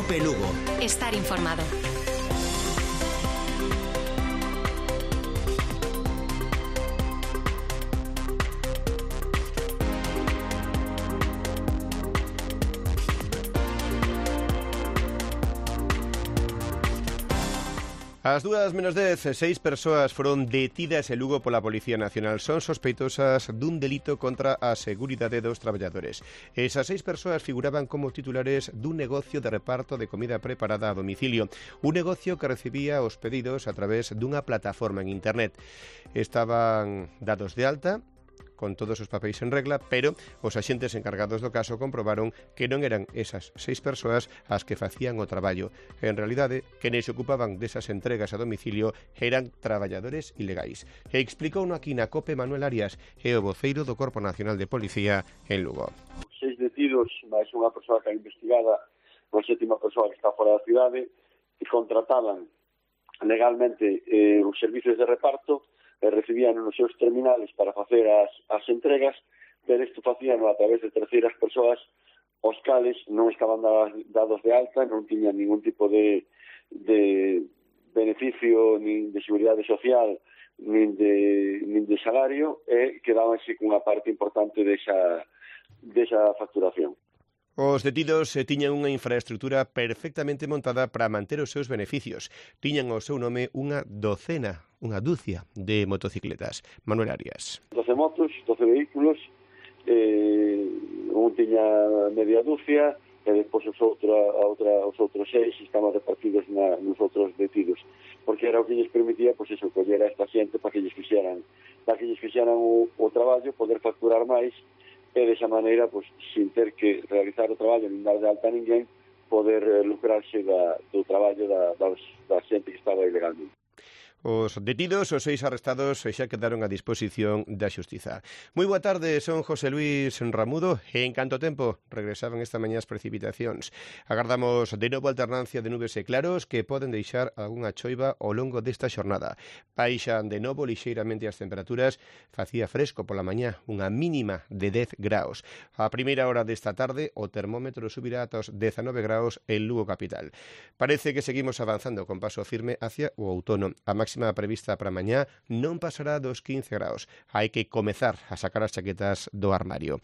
Cope Lugo. Estar informado. Ás 2:10, 6 persoas foron detidas en Lugo pola Policía Nacional. Son sospeitosas dun delito contra a seguridade dos traballadores. Esas 6 persoas figuraban como titulares dun negocio de reparto de comida preparada a domicilio. Un negocio que recibía os pedidos a través dunha plataforma en internet. Estaban dados de alta con todos os papéis en regla, pero os axentes encargados do caso comprobaron que non eran esas 6 persoas as que facían o traballo. En realidade, quenes se ocupaban desas entregas a domicilio eran traballadores ilegais. E explicouno aquí na COPE Manuel Arias, é o voceiro do Corpo Nacional de Policía en Lugo. 6 detidos, máis unha persoa que é investigada, unha sétima persoa que está fora da cidade, que contrataban legalmente os servicios de reparto, recibían nos seus terminales para facer as entregas, pero isto facían a través de terceiras persoas os cales non estaban dados de alta, non tiñan ningún tipo de beneficio, nin de seguridade social, nin de salario, e quedábanse cunha parte importante desa facturación. Os detidos tiñan unha infraestructura perfectamente montada para manter os seus beneficios. Tiñan ao seu nome unha dúcia de motocicletas. Manuel Arias. 12 motos, 12 vehículos, un tiña media dúcia, e despois os outros 6 estaban repartidos nos outros detidos, porque era o que lles permitía, pois eso, coller a esta xente para que lles fixeran o traballo, poder facturar máis, e desa maneira, pois, sin ter que realizar o traballo nin dar de alta a ninguén, poder lucrarse do traballo da xente que estaba ilegalmente. Os detidos, os 6 arrestados, xa quedaron a disposición da Xustiza. Moi boa tarde, son José Luis Ramudo e en canto tempo regresaban esta mañá as precipitacións. Agardamos de novo alternancia de nubes e claros que poden deixar algunha choiva ao longo desta xornada. Baixan de novo lixeiramente as temperaturas, facía fresco pola mañá, unha mínima de 10 graus. A primeira hora desta tarde o termómetro subirá ata os 19 graus en Lugo capital. Parece que seguimos avanzando con paso firme hacia o outono. A máxima prevista para mañá non pasará dos 15 graus. Hai que comezar a sacar as chaquetas do armario.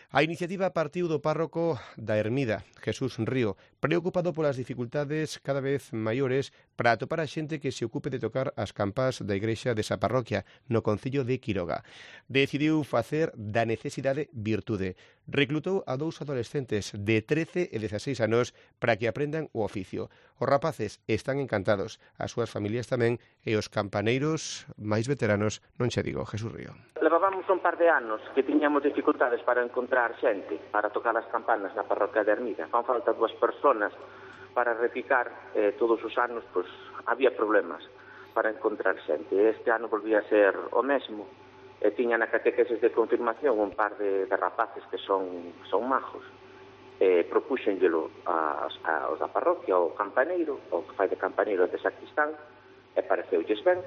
A iniciativa partiu do párroco da Ermida, Jesús Río, preocupado polas dificultades cada vez maiores para atopar a xente que se ocupe de tocar as campás da igrexa desa parroquia, no concello de Quiroga. Decidiu facer da necesidade virtude. Reclutou a 2 adolescentes de 13 e 16 anos para que aprendan o oficio. Os rapaces están encantados, as súas familias tamén, e os campaneiros máis veteranos, non che digo, Jesús Río. Levábamos un par de anos que tiñamos dificultades para encontrar xente para tocar as campanas na parroquia de Ermida. Fan falta 2 personas para repicar, todos os anos pois había problemas para encontrar xente. Este ano volvía a ser o mesmo. Tiña na catequeses de confirmación un par de rapaces que son majos. Propúxenllelo aos da parroquia, ao campaneiro, o que fai de campaneiro de sacristán, e pareceulles ben.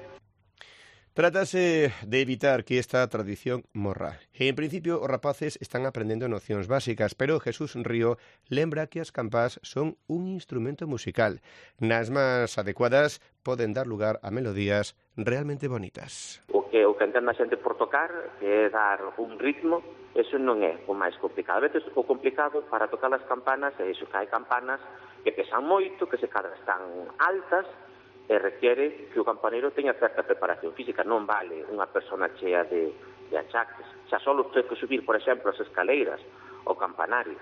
Trátase de evitar que esta tradición morra. En principio, os rapaces están aprendendo nocións básicas, pero Jesús Río lembra que as campás son un instrumento musical. Nas máis adecuadas poden dar lugar a melodías realmente bonitas. O que entende a xente por tocar, que é dar un ritmo, eso non é o máis complicado. A veces o complicado para tocar as campanas é iso, que hai campanas que pesan moito, que se cadra están altas, e requiere que o campaneiro teña certa preparación física. Non vale unha persona chea de achaques. Xa só ten que subir, por exemplo, as escaleiras ao campanario.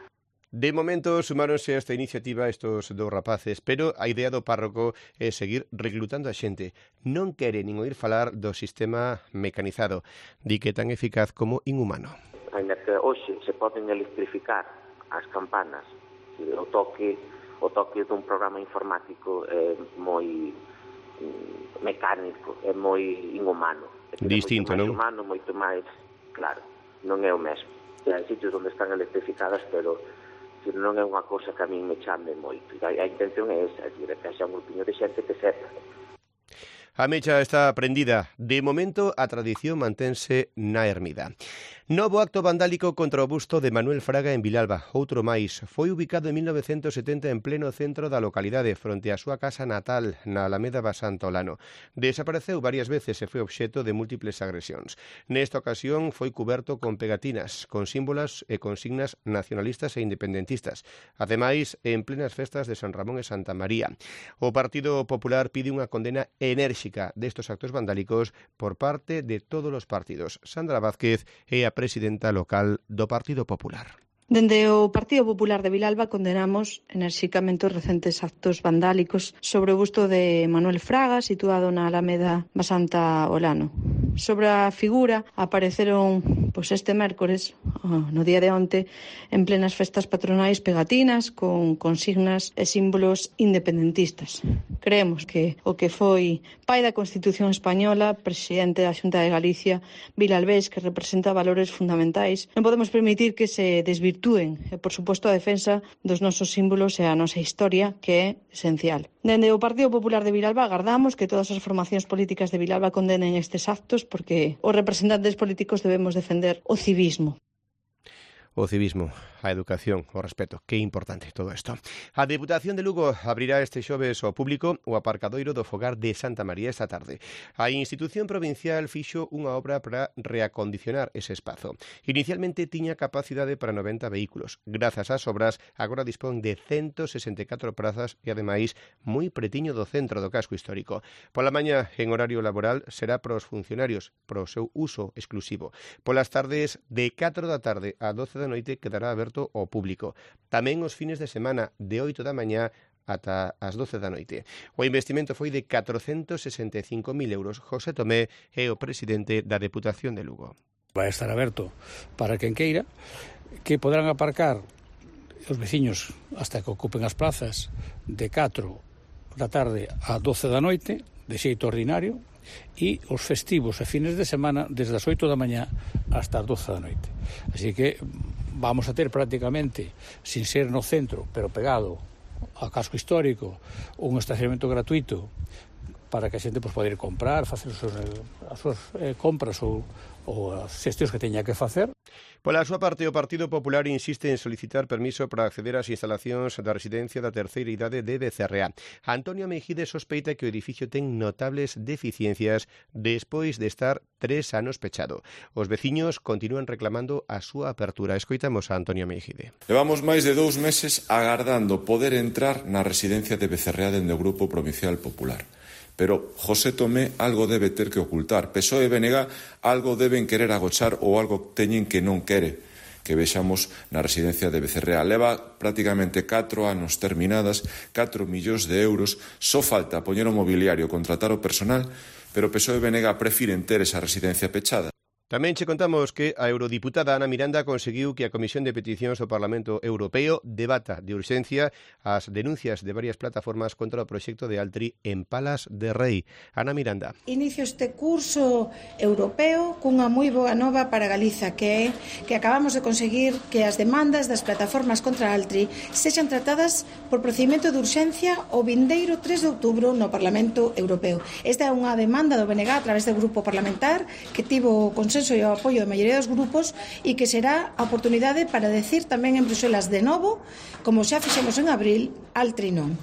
De momento sumáronse a esta iniciativa estos 2 rapaces, pero a idea do párroco é seguir reclutando a xente. Non quere nin oír falar do sistema mecanizado, di que é tan eficaz como inhumano. Ainda que hoxe se poden electrificar as campanas, o toque dun programa informático é moi mecánico, é moi inhumano. Distinto, non? Moito máis, claro, non é o mesmo. Hai sitios onde están electrificadas, pero non é unha cousa que a min me chame moito. A intención é esa, que xa un grupiño de xente que sepa. A mecha está prendida. De momento, a tradición mantense na ermida. Novo acto vandálico contra o busto de Manuel Fraga en Vilalba. Outro máis. Foi ubicado en 1970 en pleno centro da localidade, fronte á súa casa natal, na Alameda Basanta Olano. Desapareceu varias veces e foi obxecto de múltiples agresións. Nesta ocasión foi cuberto con pegatinas, con símbolos e consignas nacionalistas e independentistas. Ademais, en plenas festas de San Ramón e Santa María. O Partido Popular pide unha condena enérxica destos actos vandálicos por parte de todos os partidos. Sandra Vázquez é a presidenta local do Partido Popular. Dende o Partido Popular de Vilalba condenamos enerxicamente os recentes actos vandálicos sobre o busto de Manuel Fraga, situado na Alameda Basanta Olano. Sobre a figura apareceron este mércores, no día de onte, en plenas festas patronais pegatinas con consignas e símbolos independentistas. Creemos que o que foi pai da Constitución Española, presidente da Xunta de Galicia, vilalbés, que representa valores fundamentais, non podemos permitir que se desvirtúen e, por suposto, a defensa dos nosos símbolos e a nosa historia, que é esencial. Dende o Partido Popular de Vilalba agardamos que todas as formacións políticas de Vilalba condenen estes actos porque os representantes políticos debemos defender o civismo. O civismo, a educación, o respeto. Que importante todo isto. A Deputación de Lugo abrirá este xoves ao público o aparcadoiro do fogar de Santa María esta tarde. A institución provincial fixo unha obra para reacondicionar ese espazo. Inicialmente tiña capacidade para 90 vehículos. Grazas ás obras, agora dispón de 164 prazas e, ademais, moi pretiño do centro do casco histórico. Pola mañá, en horario laboral, será para os funcionarios, para o seu uso exclusivo. Polas tardes, de 4 da tarde a 12 da noite, quedará aberto ao público. Tamén os fines de semana, de 8 da mañá ata as 12 da noite. O investimento foi de 465.000 euros. José Tomé é o presidente da Deputación de Lugo. Vai estar aberto para quen queira, que poderán aparcar os veciños hasta que ocupen as plazas de 4 da tarde a 12 da noite, de xeito ordinario, e os festivos e fines de semana desde as 8 da mañá hasta as 12 da noite. Así que vamos a ter prácticamente, sin ser no centro, pero pegado ao casco histórico, un estacionamento gratuito para que a xente poida ir comprar, facer as súas compras ou as xestións que teña que facer. Pola súa parte, o Partido Popular insiste en solicitar permiso para acceder ás instalacións da residencia da terceira idade de Becerrea. Antonio Mejide sospeita que o edificio ten notables deficiencias despois de estar 3 anos pechado. Os veciños continúan reclamando a súa apertura. Escoitamos a Antonio Mejide. Levamos máis de 2 meses agardando poder entrar na residencia de Becerrea dende o Grupo Provincial Popular. Pero José Tomé algo debe ter que ocultar. PSOE e BNG algo deben querer agochar ou algo teñen que non quere que vexamos na residencia de Becerrea. Leva prácticamente 4 anos terminadas, 4 millóns de euros. Só falta poñer o mobiliario, contratar o personal, pero PSOE e BNG prefiren ter esa residencia pechada. Tamén che contamos que a eurodiputada Ana Miranda conseguiu que a Comisión de Peticións do Parlamento Europeo debata de urxencia as denuncias de varias plataformas contra o proxecto de Altri en Palas de Rei. Ana Miranda. Inicio este curso europeo cunha moi boa nova para Galiza, que é que acabamos de conseguir que as demandas das plataformas contra Altri sexan tratadas por procedimento de urxencia o vindeiro 3 de outubro no Parlamento Europeo. Esta é unha demanda do BNG a través do grupo parlamentar que tivo consenso e o apoio da maioría dos grupos e que será a oportunidade para decir tamén en Bruxelas de novo, como xa fixemos en abril, Altri non.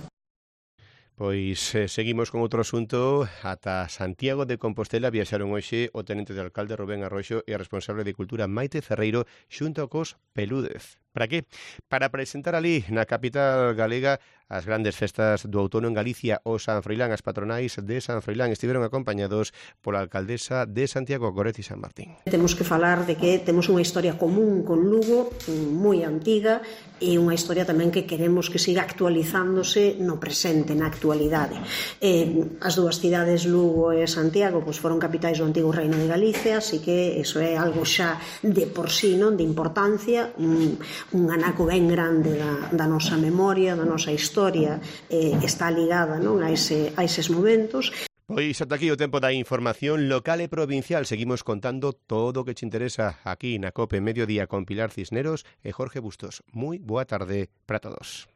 Pois seguimos con outro asunto. Ata Santiago de Compostela viaxaron hoxe o tenente de alcalde Rubén Arroxo e a responsable de Cultura Maite Ferreiro xunto cos Pelúdez. Para que? Para presentar ali na capital galega as grandes festas do outono en Galicia, o San Froilán. As patronais de San Froilán estiveron acompañados pola alcaldesa de Santiago, Goretti San Martín. Temos que falar de que temos unha historia común con Lugo, moi antiga, e unha historia tamén que queremos que siga actualizándose no presente, na actualidade. As dúas cidades, Lugo e Santiago, foron capitais do antigo Reino de Galicia, así que iso é algo xa de por sí, non, de importancia, un anaco ben grande da nosa memoria, da nosa historia, está ligada, non, a eses momentos. Pois ata aquí o tempo da información local e provincial. Seguimos contando todo o que te interesa aquí na COPE Mediodía con Pilar Cisneros e Jorge Bustos. Moi boa tarde para todos.